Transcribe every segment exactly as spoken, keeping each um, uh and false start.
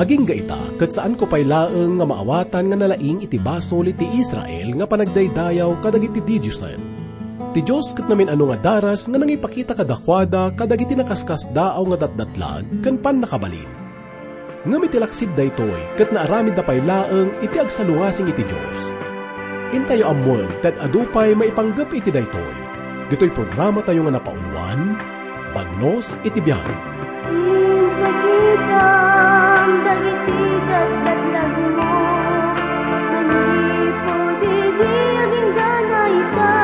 Agingga ita, ket saanko pay laeng nga maawatan nga nalaing iti basol iti Israel nga panagdaydayaw kadagiti didiosen. Ti Dios ket namin-ano nga daras nga nangipakita kadakuada kadagiti nakaskasdaaw nga datdatlag ken pannakabalin. Ngem iti laksid daytoy, ket naaramidda pay laeng iti agsalungasing iti Dios. Intayo ammoen ti ad-adu pay maipanggep iti daytoy. Ditoy programatayo nga napauluan, Bagnos iti Biag. Impakitam dagiti datdatlagmo, manipud idi agingga ita.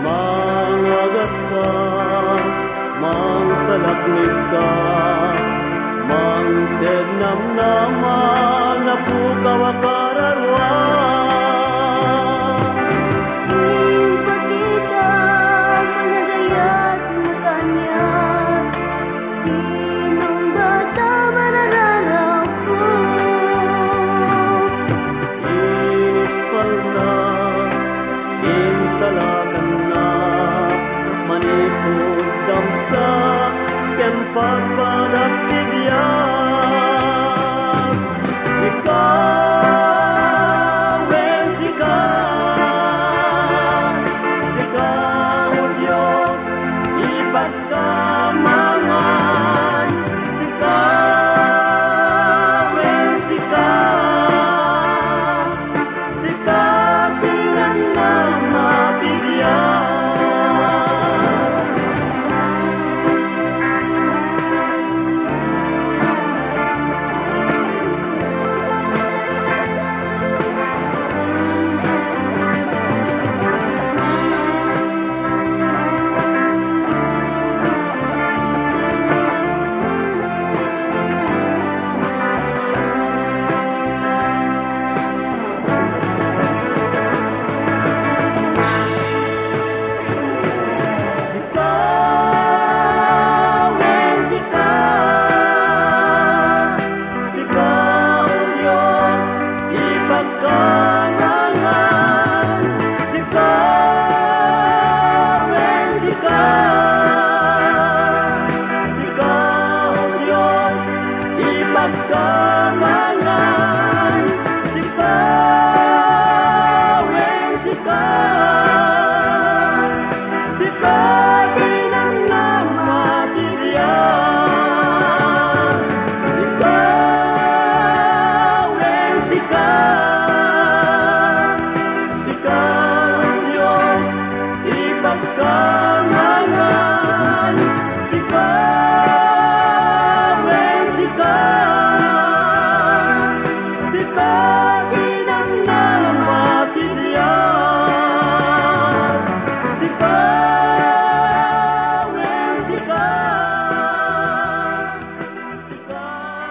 Mangagas ka, mangsalaknib ka, mangted namnama, napukaw a kararua. Impakitam, panagayat mo kaniak, sinong bata marararawko? Inispalna, insalakanna, manipud damsa ken pagpadas ti biag. Sika, wen sika, sika, O Dios, ipagkamangan. Sika, wen sika, sika ti namnama ti biag. Sika, wen sika, sika, O Dios, ipagkamangan. Sika, wen sika, sika, O Dios, ipagkamangan. Sika, wen sika, sika ti namnama ti biag. Sika, wen sika, sika, O Dios, ipagkamangan. Sika, wen sika, sika ti namnama ti biag. Sika, wen sika, sika.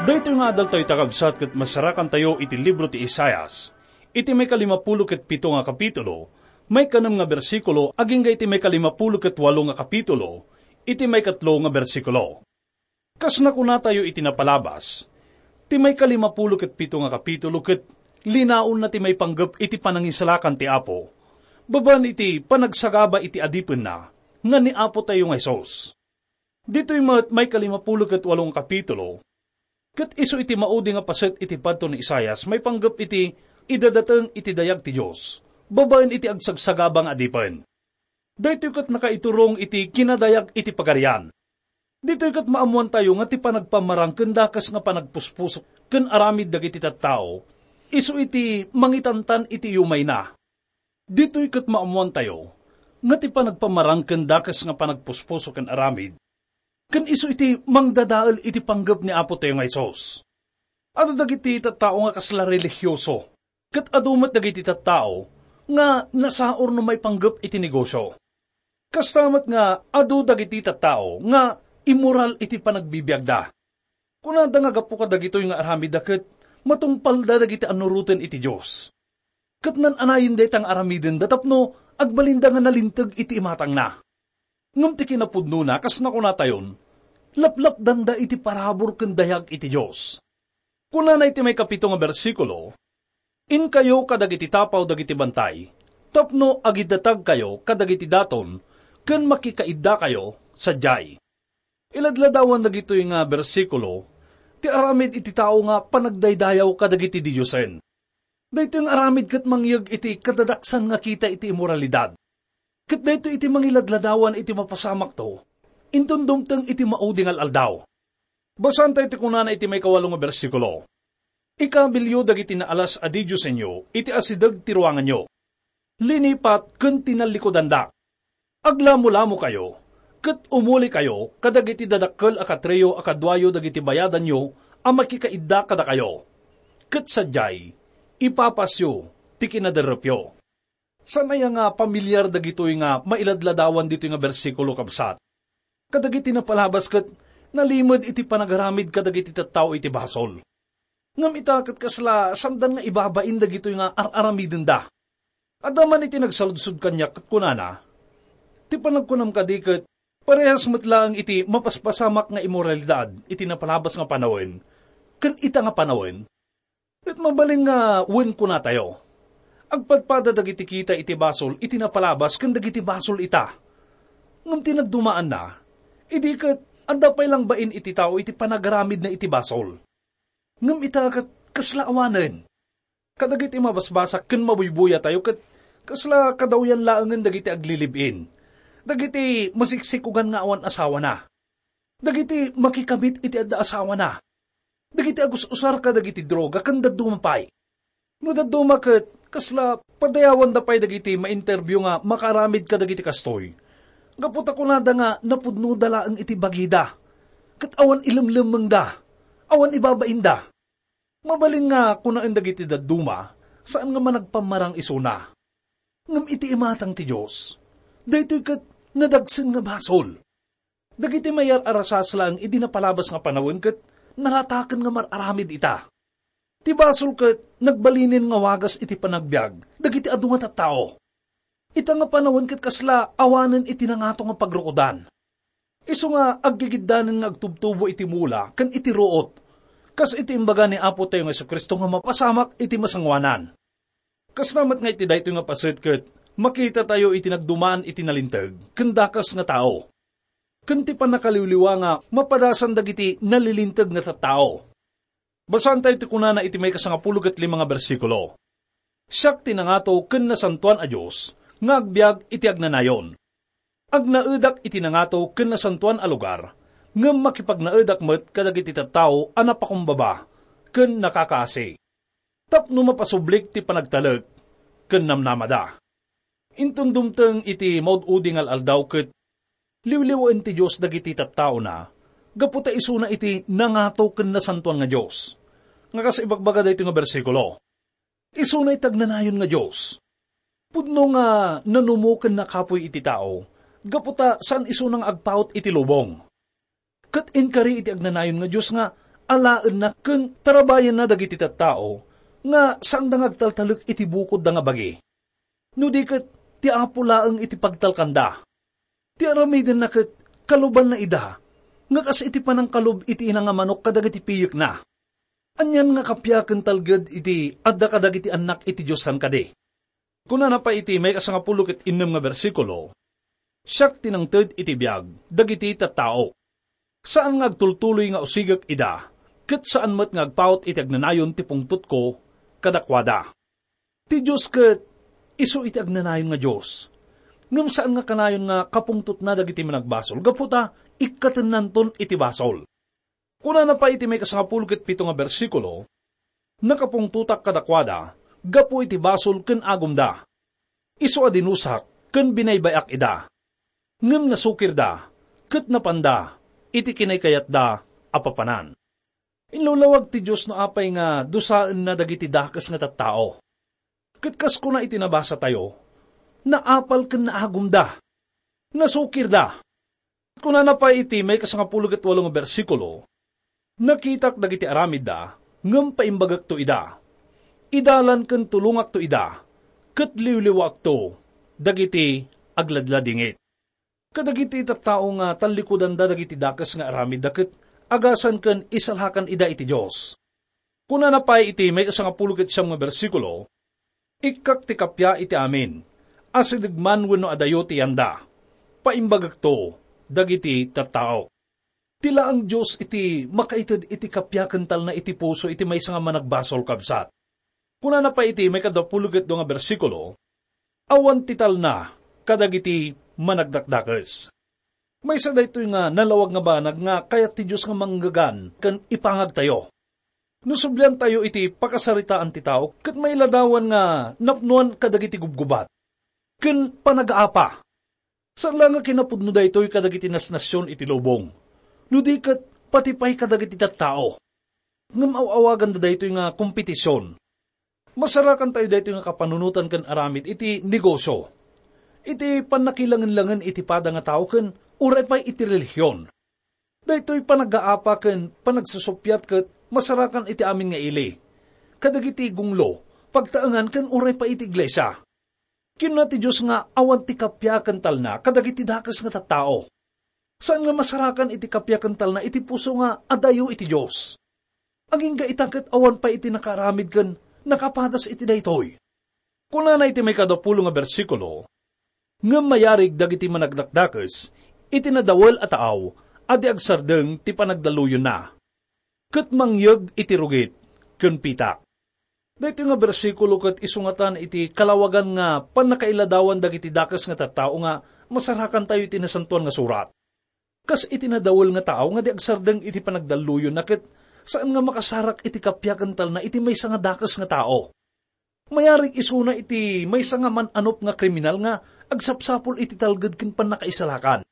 Daytoy nga adaltayo, kakabsat, ket masarakantayo iti libro ti Isaias, iti maikalimapulo ket pito nga kapitulo, maikanem nga bersikulo, agingga iti maikalimapulo ket walo nga kapitulo, iti maikatlo nga bersikulo. Kas nakunatayo iti napalabas, ti maikalimapulo ket pito nga kapitulo ket linaonna ti maipanggep iti panangisalakan ti Apo, babaen iti panagsagaba iti adipenna nga ni Apotayo nga Jesus. Ditoy met maikalimapulo ket walo nga kapitulo, ket isu iti maudi nga paset iti padto ni Isaias maipanggep iti idadateng iti dayag ti Dios, babaen iti agsagsagaba nga adipen. Daytoy ket nakaiturong iti kinadayag iti Pagarian. Ditoy ket maammoantayo nga ti panagpamarangken dakes nga panagpuspuso ken aramid dagiti tattao, isu iti mangitantan iti yumayna. Ditoy ket maammoantayo nga ti panagpamarangken dakes nga panagpuspuso ken aramid, ken isu iti mangdadael iti panggep ni Apotayo nga Jesus. Adu dagiti tattao nga kasla relihioso, ket adu met dagiti tattao nga nasaor no maipanggep iti negosio. Kasta met nga adu dagiti tattao nga immoral iti panagbibiagda. Kunada nga gapu kadagitoy nga aramidda ket matungpalda dagiti annuroten iti Dios. Ket nan-anayen dayta nga aramidenda tapno agbalinda nga nalinteg iti imatangna. Ngem ti kinapudnona, kas nakunatayon, laplapdanda iti parabur ken dayag iti Dios. Kunana iti maikapito nga bersikulo, "Inkayo kadagiti tapaw dagiti bantay, tapno agidatagkayo kadagiti daton ken makikaiddakayo sadiay." Iladladawan dagitoy nga bersikulo Ti aramid iti tao nga panagdaydayaw kadagiti didiosen. Daytoy nga aramid ket mangyeg iti kadadaksan nga kita iti immoralidad. Ket daytoy iti mangiladladawan iti mapasamakto, inton dumteng iti maudi nga al-aldaw. Basaentayo ti kunana iti maikawalo nga bersikulo, "Ikabilyo dagiti naalas a didiosenyo iti asideg ti ruanganyo, linipat ken tinallikudandak. Aglamolamokayo, ket umulikayo kadagiti dadakkel a katriyo a kaduayo dagiti bayadanyo a makikaidda kadakayo. Ket sadiay, ipapasyo ti kinaderrepyo." Saan aya nga pamilyar dagitoy nga mailadladawan ditoy nga bersikulo, kabsat? Kadagiti napalabas ket nalimed iti panagaramid kadagiti tattao iti basol. Ngem ita ket kasla saandan nga ibabain dagitoy nga ar-aramidenda. Adda man iti nagsaludsod kaniak ket kunana, "Ti panagkunam kadi ket parehas met laeng iti mapaspasamak nga immoralidad iti napalabas nga panawen ken ita nga panawen?" Ket mabalin nga wen kunatayo, agpadpada dagiti kita iti basol iti napalabas ken dagiti basol ita. Ngem ti nagdumaanna, idi ket adda pay langbain iti tao iti panagaramidna iti basol. Ngem ita ket kasla awanen. Kadagiti mabasbasak ken mabuybuyatayo ket kasla kadawyan laengen dagiti aglilib-in, dagiti masiksikogan nga awan asawana, dagiti makikabit iti adda asawana, dagiti agus-usar kadagiti droga, ken dadduma pay. No dadduma ket, kasla padayawanda pay dagiti ma-interview nga makaaramid kadagiti kastoy. Gapu ta kunada nga napudnoda laeng iti bagida, ket awan ilemlemmengda, awan ibabainda. Mabalin nga kunaen dagiti dadduma, saan nga managpammarang isuna. Ngem iti imatang ti Dios, daytoy ket nadagsen nga basol. Dagiti mayar-arasas laeng idi napalabas nga panawen ket narataken nga mar-aramid ita. Ti basol ket nagbalinen nga wagas iti panagbiag dagiti adu nga tattao. Ita nga panawen ket kasla awanen iti nangato nga pagrukodan. Isu nga aggigiddanen nga agtubtubo iti mula ken iti ruot, kas iti imbaga ni Apotayo nga Jesu-Cristo nga mapasamak iti masangoanan. Kasta met nga iti daytoy nga paset ket makitatayo iti nagduman iti nalinteg ken dakes nga tao, ken ti pannakaliwliwa nga mapadasan dagiti nalilinteg nga tattao. Basaentayo ti kunana iti maikasangapulo ket lima nga bersikulo, "Siak ti nangato ken nasantoan a Dios nga agbiag iti agnanayon. Agnaedak iti nangato ken nasantoan a lugar, ngem makipagnaedak met kadagiti tattao a napakumbaba ken nakakaasi, tapno mapasublik ti panagtalek ken namnamada." Inton dumteng iti maud-udi nga al-aldaw ket liwliwaen ti Dios dagiti tattaona gapu ta isuna iti nangato ken nasantoan nga Dios. Nga kas ibagbaga daytoy nga bersikulo, isuna iti agnanayon nga Dios. Pudno nga nanumo ken nakapuy iti tao gapu ta saan isuna nga agpaut iti lubong. Ket inkari iti agnanayon nga Dios nga alaenna ken tarabayenna dagiti tattao nga saanda nga agtaltalek iti bukodda nga bagi. No di ket ti Apo laeng iti pagtalkanda. Ti aramidenna ket kalubanna ida, nga kas iti panangkalub iti ina nga manok kadagiti piyekna. Anian nga kappia ken talged iti adda kadagiti annak iti Dios saan kadi? Kunana pay iti maikasangapulo ket innem nga bersikulo, "Siak ti nangted iti biag dagiti tattao. Saan nga agtultuloy nga usigek ida, ket saan met nga agpaut iti agnanayon ti pungtotko kadakuada." Ti Dios ket isu iti agnanayon nga Dios. Ngem saan nga kanayon nga kapungtotna dagiti managbasol gapu ta ikkatennanton iti basol. Kunana pay iti maikasangapulo ket pito nga bersikulo, "Nakapungtotak kadakuada gapu iti basol ken agumda. Isu a dinusak ken binaybay-ak ida. Ngem nasukirda ket napanda iti kinaykayatda a papanan." Inlawlawag ti Dios no apay nga dusaenna dagiti dakes nga tattao. Ket kas kuna iti nabasatayo, naapal ken naagumda. Nasukirda. Kunana pay iti maikasangapulo ket walo nga bersikulo, "Nakitak dagiti aramidda, ngem paimbagekto ida. Idalan ken tulongakto ida, ket liwliwaakto dagiti agladladingit." Kadagiti tattao nga tallikudanda dagiti dakes nga aramidda ket agasan ken isalakan ida iti Dios. Kunana pay iti maikasangapulo ket siam nga bersikulo, "Ikkak ti kappia iti amin, asideg man wenno adayo ti yanda, paimbagekto dagiti tattao." Ti laeng Dios iti makaited iti kappia ken talna iti puso iti maysa nga managbasol, kabsat. Kunana pay iti maikadapulo ket dua nga bersikulo, "Awan ti talna kadagiti managdakdakes." Maysa daytoy nga nalawag nga banag nga kayat ti Dios nga manggegan ken ipangagtayo. No subliantayo iti pakasaritaan ti tao ket mailadawan nga napnoan kadagiti gubgubat ken panagaapa. Saan la nga kinapudno daytoy kadagiti nasnasion iti lubong, no di ket pati pay kadagiti tattao. Ngem aw-awaganda daytoy nga kompetision. Masarakantayo daytoy nga kapanunotan ken aramid iti negosio, iti pannakilangenlangen iti pada nga tao ken uray pay iti relihion. Daytoy panagaapa ken panagsusuppiat ket masarakan iti amin nga ili, kadagiti gunglo, pagtaengan ken uray pay iti iglesia. Kinuna ti Dios nga awan ti kappia ken talna kadagiti dakes nga tattao. Saan nga masarakan iti kappia ken talna iti puso nga adayo iti Dios. Agingga ita ket awan pay iti nakaaramid ken nakapadas iti daytoy. Kunana iti maikadapulo nga bersikulo, "Ngem mayarig dagiti managdakdakes iti nadawel a taaw a di agsardeng ti panagdalluyonna, ket mangyeg iti rugit ken pitak." Daytoy nga bersikulo ket isungatan iti kalawagan nga pannakailadawan dagiti dakes nga tattao nga masarakantayo iti Nasantoan nga Surat. Kas iti nadawel nga tao nga di agsardeng iti panagdalluyonna ket saan nga makasarak iti kappia ken talna iti maysa nga dakes nga tao. Mayarig isuna iti maysa nga man-anop nga kriminal nga agsapsapul iti talged ken pannakaisalakan.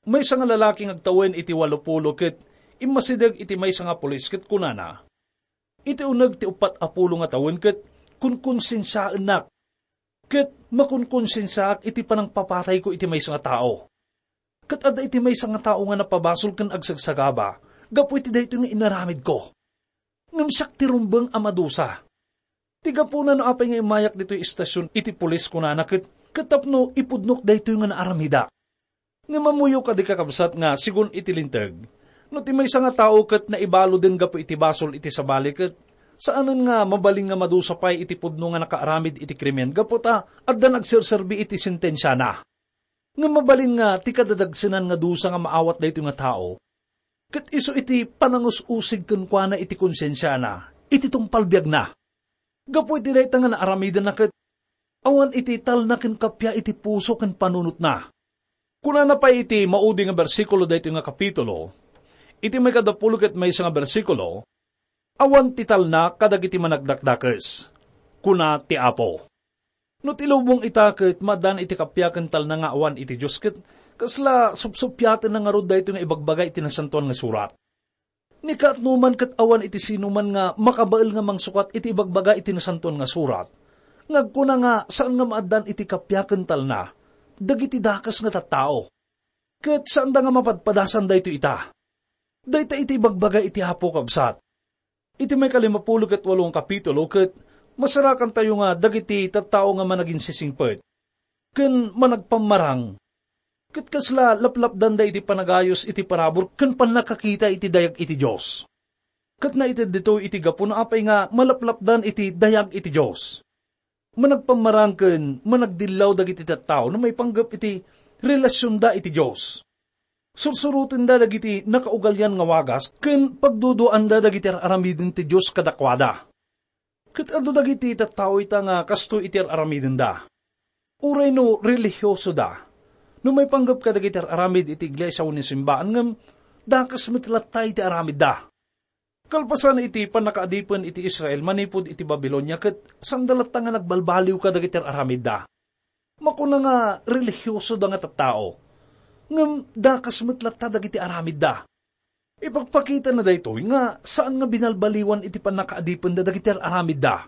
Maysa nga lalaki nga agtawen iti walopulo ket immasideg iti maysa nga pulis ket kunana, "Iti uneg ti uppat a pulo nga tawen ket kunkonsensiaennak, ket makonkonsensiaak iti panangpapatayko iti maysa nga tao. Ket adda iti maysa nga tao nga napabasol ken agsagsagaba gapu iti daytoy nga inaramidko. Ngem siak ti rumbeng a madusa. Ti gapuna no apay nga immayak ditoy istasion iti pulis," kunana, "ket, ket tapno ipudnok daytoy nga naaramidak." Ngem ammoyo kadi, kakabsat, nga segun iti Linteg, no ti maysa nga tao ket naibaluden gapu iti basol iti sabali ket saanen nga mabalin nga madusa pay iti pudno nga nakaaramid iti krimen gapu ta addan agserserbi iti sentensiana. Ngem mabalin nga ti kadadagsenan nga dusa nga maawat daytoy nga tao, ket isu iti panangus-usig kenkuana iti konsensiana iti tungpal biagna. Gapu iti dayta nga naaramidenna ket awan iti talna ken kappia iti puso ken panunotna. Kunana pay iti maudi nga bersikulo daytoy nga kapitulo, iti maikadapulo ket maysa nga bersikulo, "Awan ti talna kadagiti managdakdakes," kuna ti Apo. No ti lubong ita ket maaddaan iti kappia ken talna nga awan iti Dios, ket kasla supsuppiatenna ngarud daytoy nga ibagbaga iti Nasantoan nga Surat. Ni kaatnoman ket awan iti sinuman nga makabael nga mangsukat iti ibagbaga iti Nasantoan nga Surat nga agkuna nga saan nga maaddaan iti kappia ken talna dagiti dakes nga tattao. Ket saanda nga mapadpadasan daytoy ita. Dayta iti ibagbaga iti Apo, kabsat. Iti maikalimapulo ket walo nga kapitulo ket masarakantayo nga dagiti tattao nga managinsisingpet ken managpammarang, ket kasla laplapdanda iti panagayus iti parabur ken pannakakita iti dayag iti Dios. Ket naited ditoy iti gapuna apay nga malaplapdan iti dayag iti Dios. Managpammarang ken managdillaw dagiti tattao no maipanggep iti relasionda iti Dios. Sursurotenda dagiti nakaugalian nga wagas ken pagduduaanda dagiti ar-aramiden ti Dios kadakuada. Ket adu dagiti tattao ita nga kastoy iti ar-aramidenda. Uray no relihiosoda, no maipanggep kadagiti ar-aramid iti iglesia wenno simbaan, ngem dakes met latta iti aramidda. Kalpasan iti pannakaadipen iti Israel manipud iti Babilonia, ket saanda latta nga nagbalbaliw kadagiti ar-aramidda. Makuna nga relihiosoda nga tattao, ngem dakes met latta dagiti aramidda. Ipakpakitana daytoy nga saan nga binalbaliwan iti pannakaadipenda dagiti ar-aramidda.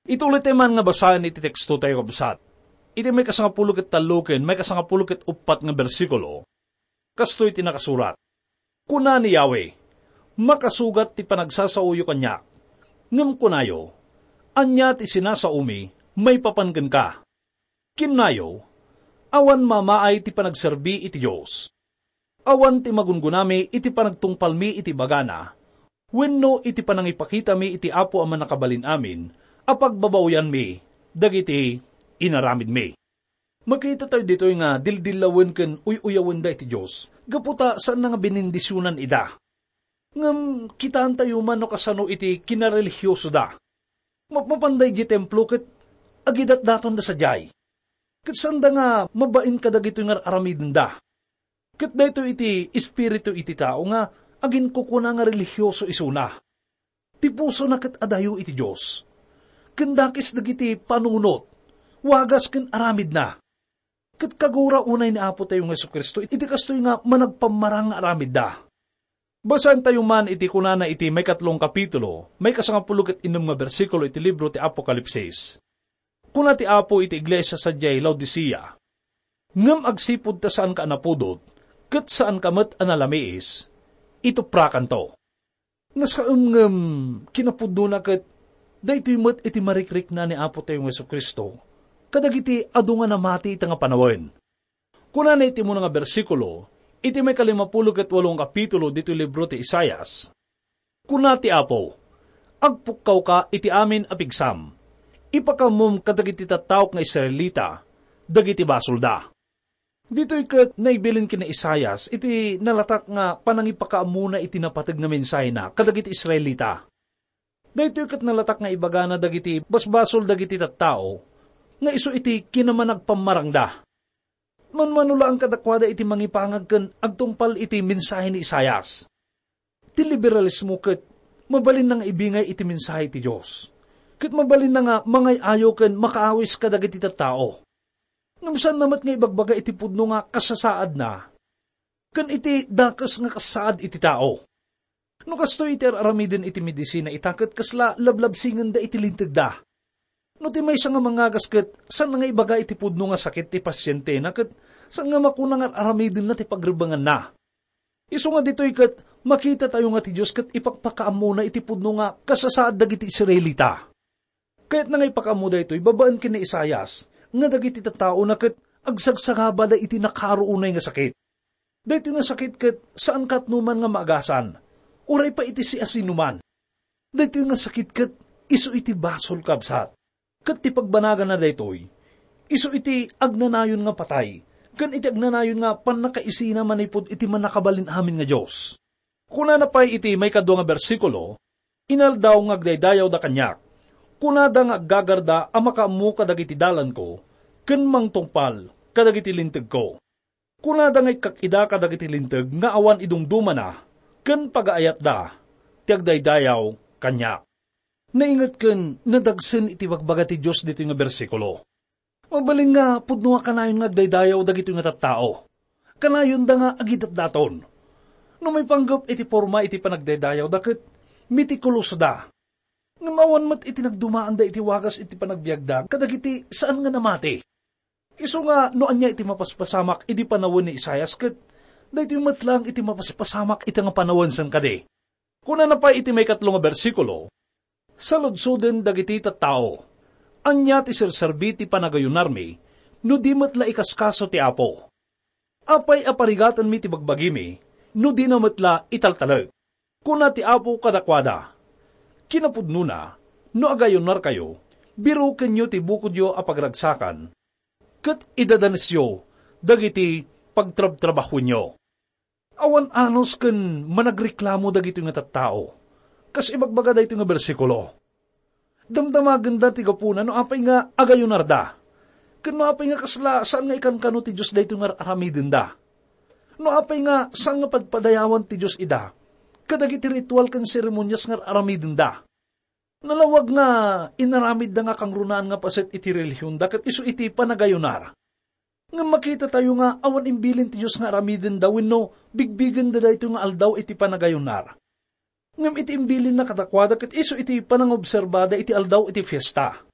Ituloy tayo man nga basaen iti teksto tayo, kabsat. Iti maikasangapulo ket tallo ken maikasangapulo ket uppat nga bersikulo, kastoy ti nakasurat, "Kuna ni Yahweh, 'Makasugat ti panagsasaoyo kaniak.' Ngem kunayo, 'Ania ti sinasaomi maipapan kenka?' Kinnayo, 'Awan mamaay ti panagserbi iti Dios. Awan ti magungunami iti panagtungpalmi iti ibagana wenno iti panangipakitami iti Apo a Mannakabalin-amin a pagbabaoyanmi dagiti inaramidmi.'" Makita tayo ditoy nga dildillawen ken uy-uyawenda iti Dios gapu ta saanna nga benindisionan ida. Ngem kitaentayo man no kasano iti kinarelihiosoda. Mapmapanda idiay templo ket agidatdatonda sadiay. Ket saanda nga mabain kadagitoy nga ar-aramidenda. Ket daytoy iti espiritu iti tao nga aginkukuna nga relihioso isuna. Ti pusona ket adayo iti Dios. Ken dakes dagiti panunot, wagas ken aramidna. Ket kagura unay ni Apotayo nga Jesu-Cristo iti kastoy nga managpammarang nga aramidda. Basaentayo man iti kunana iti maikatlo nga kapitulo, maikasangapulo ket innem nga bersikulo iti libro ti Apokalipsis. Kuna ti Apo iti iglesia sadiay Laodicea, "Ngem agsipud ta saanka a napudot, ket saanka met a nalamiis, ituprakanto." Nasaem ngem kinapudnona ket daytoy met iti marikrikna ni Apotayo nga Jesu-Cristo kadagiti adu nga namati ita nga panawen. Kunana iti umuna nga bersikulo iti maikalimapulo ket walo nga kapitulo ditoy libro ti Isaias, "Kuna ti Apo, 'Agpukkawka iti amin a pigsam. Ipakaammom kadagiti tattaok nga Israelita dagiti basolda.'" Ditoy ket naibilin ken ni Isaias iti nalatak nga panangipakaammona iti napateg nga mensahena kadagiti Israelita. Daytoy ket nalatak nga ibagana dagiti basbasol dagiti tattao nga isu iti kinamanagpammarangda. Manmano laeng kadakuada iti mangipangag ken agtungpal iti mensahe ni Isaias. Ti liberalismo ket mabalinna nga ibingay iti mensahe ti Dios, ket mabalinna nga mangay-ayo ken makaawis kadagiti tattao. Ngem saanna met nga ibagbaga iti pudno nga kasasaadna ken iti dakes nga kasaad iti tao. No kastoy iti ar-aramiden iti medisina ita ket kasla lablabsingenda iti lintegda. No ti maysa nga mangagas ket saanna nga ibaga iti pudno nga sakit ti pasientena ket saan nga makuna nga ar-aramidenna ti pagrebenganna. Isu nga ditoy ket makitatayo nga ti Dios ket ipakpakaammona iti pudno nga kasasaad dagiti Israelita. Kayatna nga ipakaammo daytoy babaen ken ni Isaias nga dagiti tattaona ket agsagsagabada iti nakaro unay nga sakit. Daytoy nga sakit ket saan katno man nga maagasan, uray pay iti siasinoman. Daytoy nga sakit ket isu iti basol, kabsat. Ket ti pagbanagana daytoy, isu iti agnanayon nga patay, ken iti agnanayon nga pannakaisina manipud iti Mannakabalin-amin nga Dios. Kunana pay iti maikadua nga bersikulo, "Inaldaw nga agdaydayawda kaniak. Kunada nga aggagarda a makaammo kadagiti dalanko, ken mangtungpal kadagiti lintegko. Kunada nga ikkak ida kadagiti linteg nga awan idumdumana, ken pagaayatda ti agdaydayaw kaniak." Nainget ken nadagsen iti bagbaga ti Dios ditoy nga bersikulo. Mabalin nga pudno a kanayon nga agdaydayaw dagitoy nga tattao. Kanayonda nga agidatdaton. No maipanggep iti porma iti panagdaydayawda ket metikulosda. Ngem awan met iti nagdumaanda iti wagas iti panagbiagda kadagiti saan nga namati. Isu nga no ania iti mapaspasamak idi panawen ni Isaias ket daytoy met laeng iti mapaspasamak ita nga panawen sen kadi. Kunana pay iti maikatlo nga bersikulo, "Saludsoden dagiti tattao. Ania ti serserbi ti panagayunarmi no di met la ikaskaso ti Apo? Apay a parigatenmi ti bagbagimi no dina met la italtalek?" Kuna ti Apo kadakuada, "Kinapudnona, no agayunarkayo, birukenyo ti bukodyo a pagragsakan, ket idadanesyo dagiti pagtrabtrabahoenyo." Awan anus ken managreklamo dagitoy nga tattao. Kas ibagbaga daytoy nga bersikulo, damdamagenda ti gapuna no apay nga agayunarda, ken no apay nga kasla saan nga ikankano ti Dios daytoy nga ar-aramidenda. No apay nga saan nga padpadayawan ti Dios ida kadagiti ritual ken seremonias nga ar-aramidenda. Nalawag nga inaramidda nga kangrunaan nga paset iti relihionda ket isu iti panagayunar. Ngem makitatayo nga awan imbilin ti Dios nga aramidenda wenno bigbigenda daytoy nga aldaw iti panagayunar. Ngem iti imbilinna kadakuada ket isu iti panangobserbada iti aldaw iti fiesta.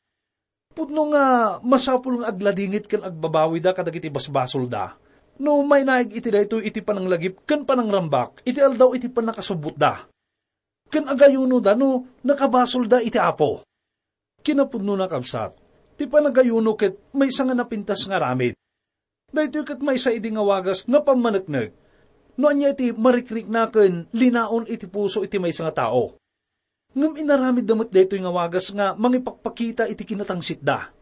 Pudno nga masapul nga agladingit ken agbabawida kadagiti basbasolda no mainaig iti daytoy iti pananglagip ken panangrambak iti aldaw iti pannakasubbotda. Ken agayunoda no nakabasolda iti Apo. Kinapudnona, kabsat, ti panagayuno ket maysa nga napintas nga aramid. Daytoy ket maysa idi nga wagas nga pammaneknek no ania iti marikrikna ken linaon iti puso iti maysa nga tao. Ngem inaramidda met daytoy nga wagas nga mangipakpakita iti kinatangsitda.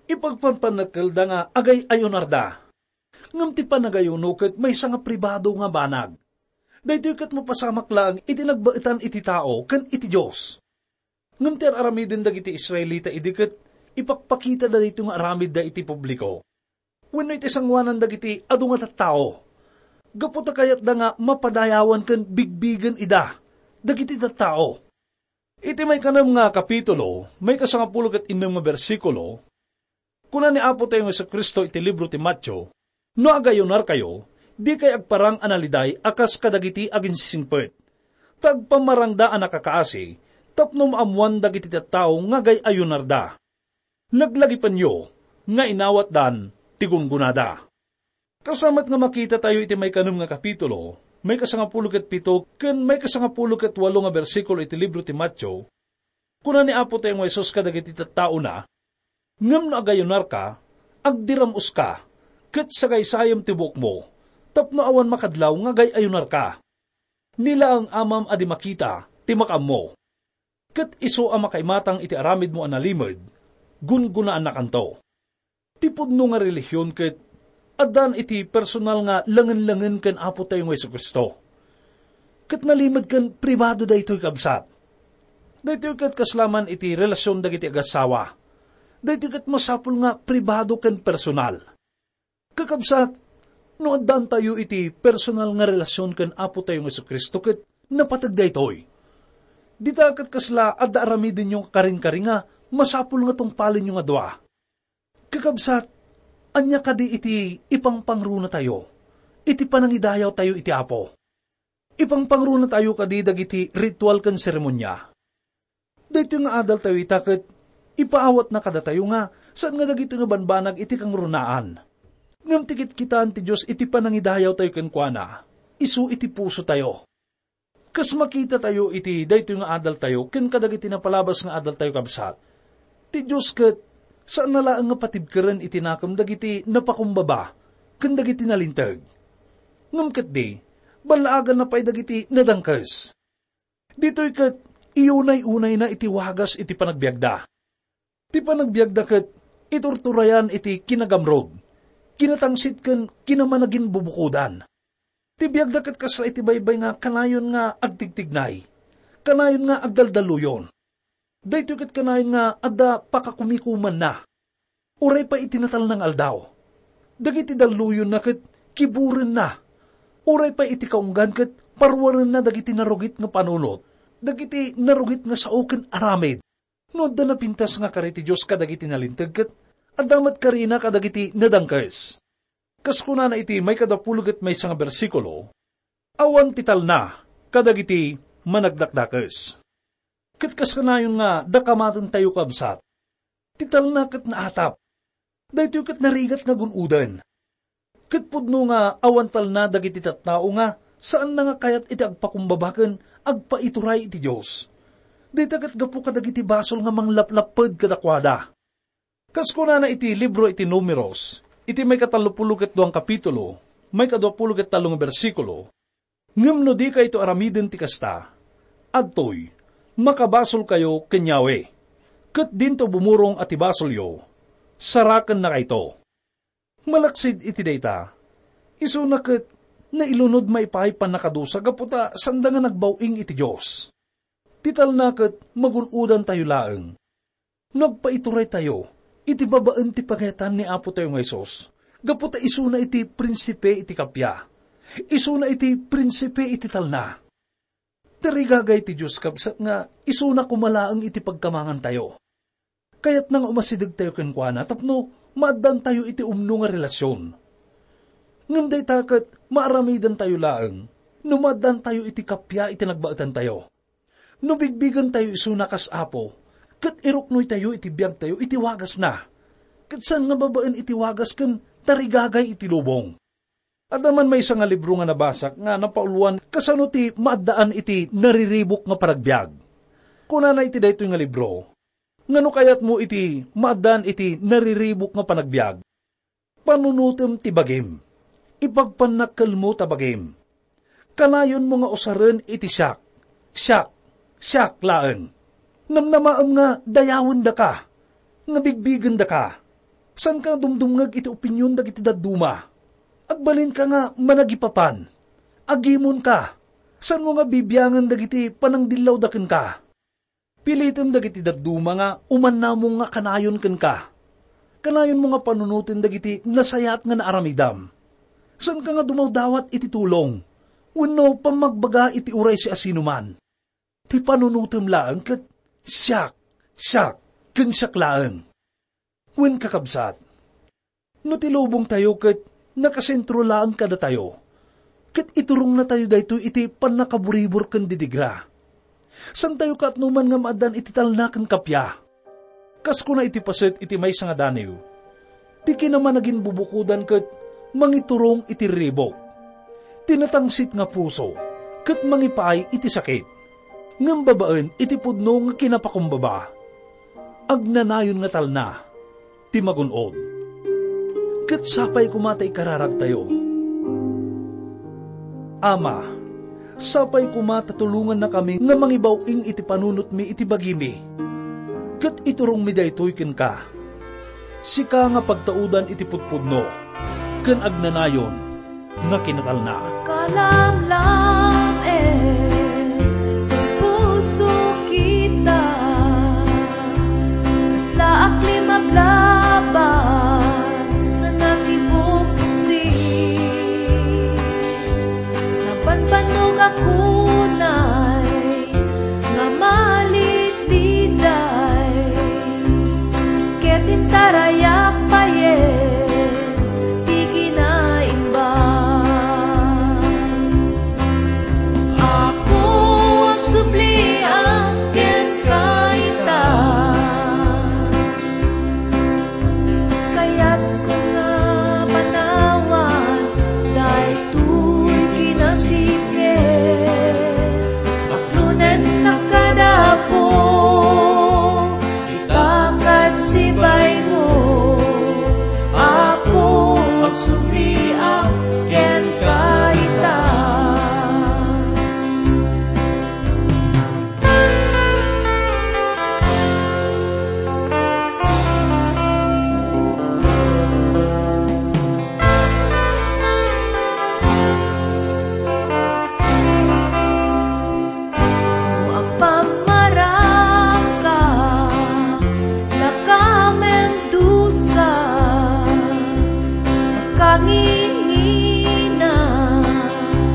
Ipagpanpannekkelda nga agay-ayunarda. Ngem ti panagayuno ket maysa nga pribado nga banag. Daytoy ket mapasamak laeng iti nagbaetan iti tao ken iti Dios. Ngem ti ar-aramiden dagiti Israelita idi ket ipakpakitada daytoy nga aramidda iti publiko wenno iti sangoanan dagiti adu nga tattao, gapu ta kayatda nga mapadayawan ken bigbigen ida dagiti tattao. Iti maikanem nga kapitulo, maikasangapulo ket innem nga bersikulo, kuna ni Apo tayo nga Jesu-Cristo iti libro ti Mateo, "No agayunarkayo, dikay agparang a naliday a kas kadagiti aginsisingpet. Ta agpamarangda a nakakaasi, tapno maammoan dagiti tattao nga agay-ayunarda. Laglagipenyo nga inawatdan ti gunggonada." Kasamet nga makita tayo iti maikanem nga kapitulo, maikasangapulo ket pito ken maikasangapulo ket walo nga bersikulo iti libro ti Mateo, kuna ni Apo tayo nga Jesus kadagiti tattaona, "Ngem no agayunarka, agdiram-oska, ket sagaysayem ti buokmo, tapno awan makadlaw nga agay-ayunarka. Ni laeng Amam a di makita ti makaammo. Ket isu a makaimatang iti aramidmo a nalimed, gunggonaannakanto." Ti pudno nga relihion ket addan iti personal nga lengen-lengen ken Apo tayo nga Jesu-Cristo. Ket nalimed ken pribado daytoy, kabsat. Daytoy ket kasla man iti relasyon dagiti agassawa. Daytoy ket masapul nga pribado ken personal. Kakabsat, no addan tayo iti personal nga relasyon ken Apo tayo nga Jesu-Cristo ket napateg daytoy. Dita ket kasla adda aramidenyo nga karinkaringa, masapul nga tungpalenyo nga dua. Kakabsat, ania kadi iti ipangpangruna tayo iti panangidayaw tayo iti Apo? Ipangpangruna tayo kadi dagiti ritual ken seremonia? Daytoy nga adal tayo ita ket ipaawatna kadatayo nga saan nga dagitoy nga banbanag iti kangrunaan. Ngem ti kitkitaan ti Dios iti panangidayaw tayo kenkuana, isu iti puso tayo. Kas makita tayo iti daytoy nga adal tayo ken kadagiti napalabas nga adal tayo, kabsat, ti Dios ket saan na laeng nga patibkeren iti nakem dagiti napakumbaba ken dagiti nalinteg. Ngem ketdi, ballaaganna pay dagiti nadangkes. Ditoy ket iyunay-unayna iti wagas iti panagbiagda. Ti panagbiagda ket iturturayan iti kinagamrud, kinatangsit ken kinamanaginbubukodan. Ti biagda ket kasla iti baybay nga kanayon nga agtigtignay, kanayon nga agdaldaluyon. Daytoy ket kanayon nga adda pakakumikumanna. Uray pay iti natalna nga aldaw, dagiti dalluyonna ket kiburenna. Uray pay iti kaunggan ket paruarenna dagiti narugit nga panunot, dagiti narugit nga sao ken aramid. No adda napintas nga kari ti Dios kadagiti nalinteg ket adda met karina kadagiti nadangkes. Kas kunana iti maikadapulo ket maysa nga bersikulo, "Awan ti talna kadagiti managdakdakes." Ket kas kanayon nga dakamataentayo, kabsat, ti talna ket naatap. Daytoy ket narigat nga gun-oden. Ket pudno nga awan talna dagiti tattao nga saanna nga kayat iti agpakumbaba ken agpaituray iti Dios. Dayta ket gapu kadagiti basol nga manglaplapped kadakuada. Kas kunana iti libro iti Numeros, iti maikatallopulo ket duang kapitulo, maikaduapulo ket tallo nga bersikulo, "Ngem no dikayto aramiden ti kasta, adtoy, makabasolkayo ken Yahweh, ket dinto bumurong a ti basolyo, sarakennakayto." Malaksid iti dayta, isuna ket nailunod maipaay pannakadusa gapu ta sanda nga nagbaw-ing iti Dios. Ti talna ket magun-odantayo laeng. No agpaituraytayo iti babaen ti pagayatan ni Apo tayo nga Jesus, gapu ta isuna iti prinsipe iti kappia, isuna iti prinsipe iti talna. Tarigagay ti Dios, kabsat, nga isuna koma laeng iti pagkamangantayo. Kayatna nga umasidegtayo kenkuana tapno maaddantayo iti umno nga relasyon. Ngem dayta ket maaramidantayo laeng no maaddantayo iti kappia iti nagbaetantayo. No bigbigentayo isuna kas Apo, ket iruknoytayo iti biagtayo iti wagasna, ket saan nga babaen iti wagas ken tarigagay iti lubong. Adda man maysa nga libro nga nabasak nga napauloan kasano ti maaddaan iti nariribuk nga panagbiag. Kunana iti daytoy nga libro, "Ngano kayatmo iti maaddaan iti nariribuk nga panagbiag? Panunotem ti bagim. Ipagpannakkelmo ta bagim. Kanayonmo nga usaren iti siak, siak, siak laeng. Namnamaem nga dayawendaka, nga bigbigendaka. Saanka dumdumngeg iti opinion dagiti dadduma. Agbalinka nga managipapan. Agimonka. Saanmo nga bibiangen dagiti panangdillawda kenka. Pilitem dagiti dadduma nga umannamong nga kanayon kenka. Kanayonmo nga panunoten dagiti nasayaat nga naaramidam. Saanka nga dumawdawat iti tulong, wenno pammagbaga iti uray siasinoman. Ti panunotem laeng ket siak, siak, ken siak laeng. Wen, kakabsat, no ti lubongtayo ket nakasentro laeng kadatayo, ket iturongnatayo daytoy iti pannakaburibor ken didigra, saantayo kaatnoman nga maaddan iti talna ken kappia. Kas kuna iti paset iti maysa nga daniw, ti kinamanaginbubukodan ket mangiturong iti riribuk. Ti natangsit nga puso ket mangipaay iti sakit. Ngem babaen iti pudno nga kinapakumbaba, agnanayon nga talna ti magun-od. Ket sapay koma ta ikararagtayo. Ama, sapay koma ta tulongannakami nga mangibaw-ing iti panunotmi iti bagimi, ket iturongmi daytoy kenka. Sika nga pagtaudan iti pudpudno ken agnanayon nga kinatalna. Kalamlam, eh, ti puso kita. Kasla aklim aglaban nga nakibuksi. Nabanbannog a kunay nga malididay. Ket intarayak payen ti kinaimba. Apo, agsubliak kenka ita. Kayatko nga panawan daytoy kinasipnget. Aklonennak kada Apo, ipakat sibaymo. Apo, agsubliak kenka ita. No agpammarangka, lakamen dusa, kangingina,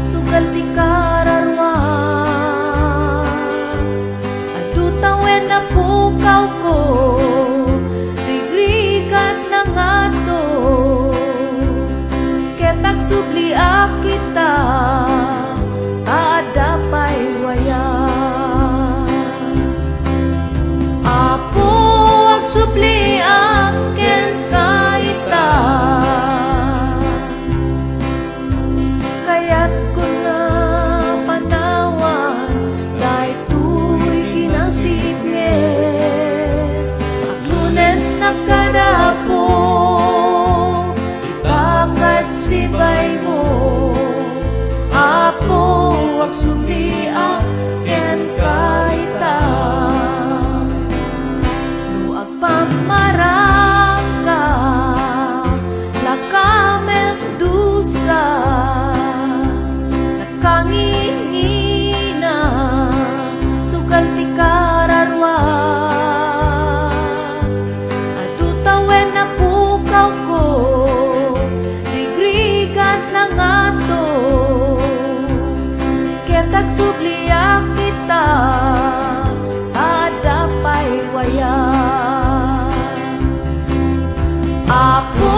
sugal ti kararua. Adu tawen a pukawko, rigrigat na ngato, ket agsubliak ita, ta adda pay waya. Apo, agsubliak kenka ita. Kayatko nga panawan daytoy kinasipnget. Aglonennak kada Apo, ipakat sibaymo. Apo, agsubliak kenka ita. No agpammarangka, lakamen dusa, kangingina, sugal ti kararua. Adu tawen a pukawko, rigrigat na ngato, ket agsubliak ita, ta adda pay waya. Apo,